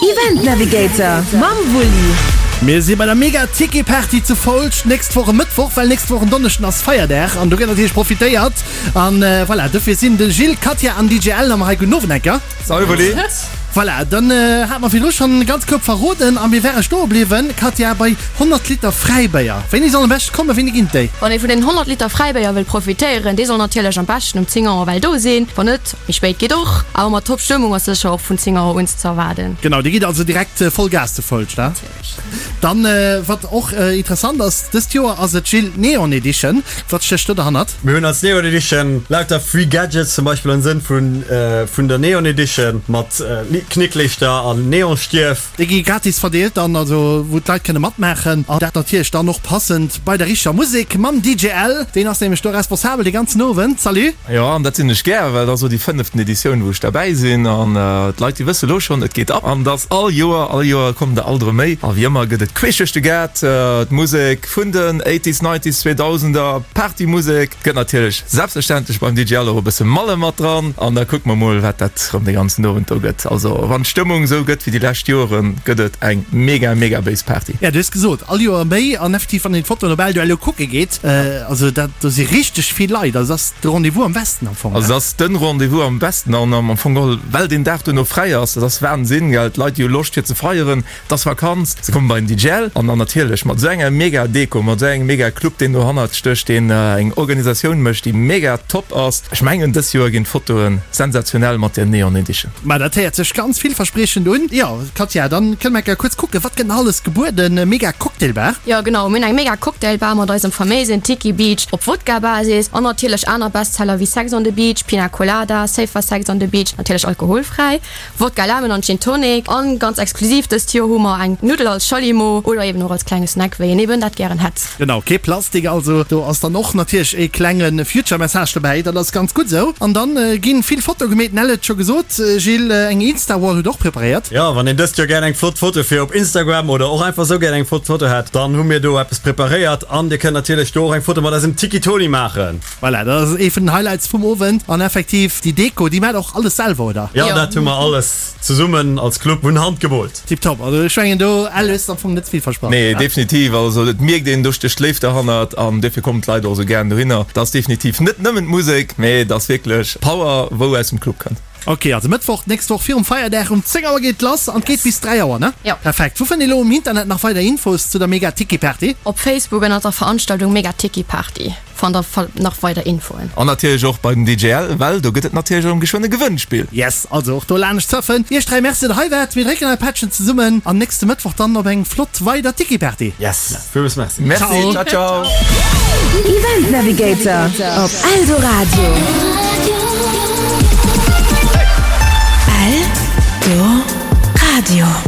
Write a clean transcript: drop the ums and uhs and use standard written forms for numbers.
Event Navigator mam Wulli. Mir si bei der Mega Tiki Party zu Foulscht nächst Woch e Mëttwoch, well nächst Woch en Donneschden ass Feierdag an do gëtt natierlech profitéiert. An voilà, dofir sinn de Gilles, Katja an DJ Ellen am hei. Gudden Owend enker. Salut Wulli. Voilà, dann hate mer virdru schonn e ganz Koup verroden a mir ware stoe bliwwen, Katja, bei 100 Liter Fräibéier. Wéini soll am beschte kommen? Wéini ginn et déi? Wann ee vun den 100 Liter Fräibéier wëll profitéieren, dee soll natierlech am beschten um 10 Auer well do sinn. Wann net, méi spéit geet och, awer mat top Stëmmung ass sécher och vun 10 Auer un ze erwaarden. Genau, dir gitt also direkt voll Gas zu Foulscht, ne? Natierlech. Dann, wat och interessant ass dëst Joer, ass et Gilles, d'Neon Edition. Wat stécht do derhannert? Mir hunn als Neon Edition lauter free Gadgets, zum Beispill am Sënn vun der Neon Edition mat Knicklichter an Neonstierf. Déi gi gratis verdeelt dann, also wou d'Leit kënne matmaachen an dat natierlech dann och passend bei der richteger Musek mam DJ L. Deen ass nämlech do responsabel dee ganzen Owend. Salut! Jo, an dat sinn ech gär, well et ass elo déi fënneften Editioun, wou ech derbäi sinn. An d'Leit, déi wësse lo schonn, et geet ab. An et ass all Joer, all Joer kommen der alt erëm méi. A wéi ëmmer gëtt et queesch duerch de Gaart, d'Musek vun den Eighties, Nineties, Zweedausender, Partymusek. Et gëtt natierlech selbstverständlech beim DJ Al och e bësse Malle mat dran. An da kucke mer mol, wat dat erëm de ganzen Owend do gëtt. Also wann d'Stëmmung esou gëtt wéi déi lescht Joeren, gëtt et eng mega, mega béis Party. Ja, du hues gesot, all Joer méi. An effektiv, wann een d'Fotoen op Eldo elo kucke geet, Also dat, do si richteg vill Leit. Also dat ass de Rendez-vous am Westen am Fong. Also dat ass den Rendez-vous am Westen an am Fong geholl, well deen Dag duerno fräi ass. Dat ass Wahnsinn, gell? D'Leit, déi hu Loscht fir ze feieren, et ass Vakanz, se kommen bei den DJL an dann natierlech mat esou enger mega Deko, mat esou engem mega Club, deen dohannert stécht, deen eng Organisatioun mécht, déi mega top ass. Ech mengen, dës Joer ginn d'Fotoe sensationell mat der Neon Edition. Ma dat héiert sech ganz villverspriechend un. Jo, Katja, dann kënne mer eng Kéier kuerz kucken, wat gëtt nach alles gebueden? Mega Cocktailbar. Jo genau, mir hunn eng mega Cocktailbar mat eisem faméisen Tiki Beach op Wodka-Basis an natierlech aner Bestseller wéi Sex on the Beach, Pina Colada, Safer Sex on the Beach, natierlech alkoholfräi, Wodka Lemon an Gin Tonic an ganz exklusiv dëst Joer hu mer eng Nuddel als Schallimo oder eben och als klenge Snack, wéi een eben dat gären hätt. Genau, kee Plastik also. Do ass dann och natierlech ee klenge Future Message dobäi, dat ass ganz gutt esou. An dann ginn vill Fotoe gemeet, Nell huet et scho gesot, Gilles, eng Insta-Wall hutt och preparéiert. Jo, wann een dëst Joer gär eng flott Foto fir op Instagram oder och einfach sou gär eng flott Foto hätt, dann hu mir do eppes preparéiert an dir kënnt natierlech do och eng Foto mat eisem Tiki Toni maachen. Voilà, dat ass ee vun den Highlights vum Owend. An effektiv, déi Deko, déi maacht och alles selwer, oder? Jo, dat hu mer alles zesummen als Club vun Hand gemoolt. Tiptop, also ech mengen do, Al, hues de am Fong net vill versprach. Nee, definitiv, also et mierkt een, do stécht Léift derhannert an duerfir kommen d'Leit och esou gären dohinner. Et ass definitiv net nëmmen d'Musek, mee et ass wierklech Power, wou aus dem Club kënnt. Ok, also Mëttwoch d'nächst Woch virum Feierdag um 10 Auer geet et lass an et geet bis 3 Auer, ne? Jo. Perfekt. Wou fënnt ee lo um Internet nach weider Infos zu der Mega Tiki Party? Op Facebook ënnert der Veranstaltung Mega Tiki Party fannt der nach weider Infoen. An natierlech och bei den DJL, well do gëtt et natierlech erëm geschwënn e Gewënnspill. Yes, also och do laanescht surfen. Iech 3 Merci, datt der hei waart. Mir drécken eir Pättchen zesummen an nächste Mëttwoch dann op eng flott weider Tiki Party. Yes. Villmools merci. Merci, ciao ciao. Event Navigator op Eldoradio. Eldoradio.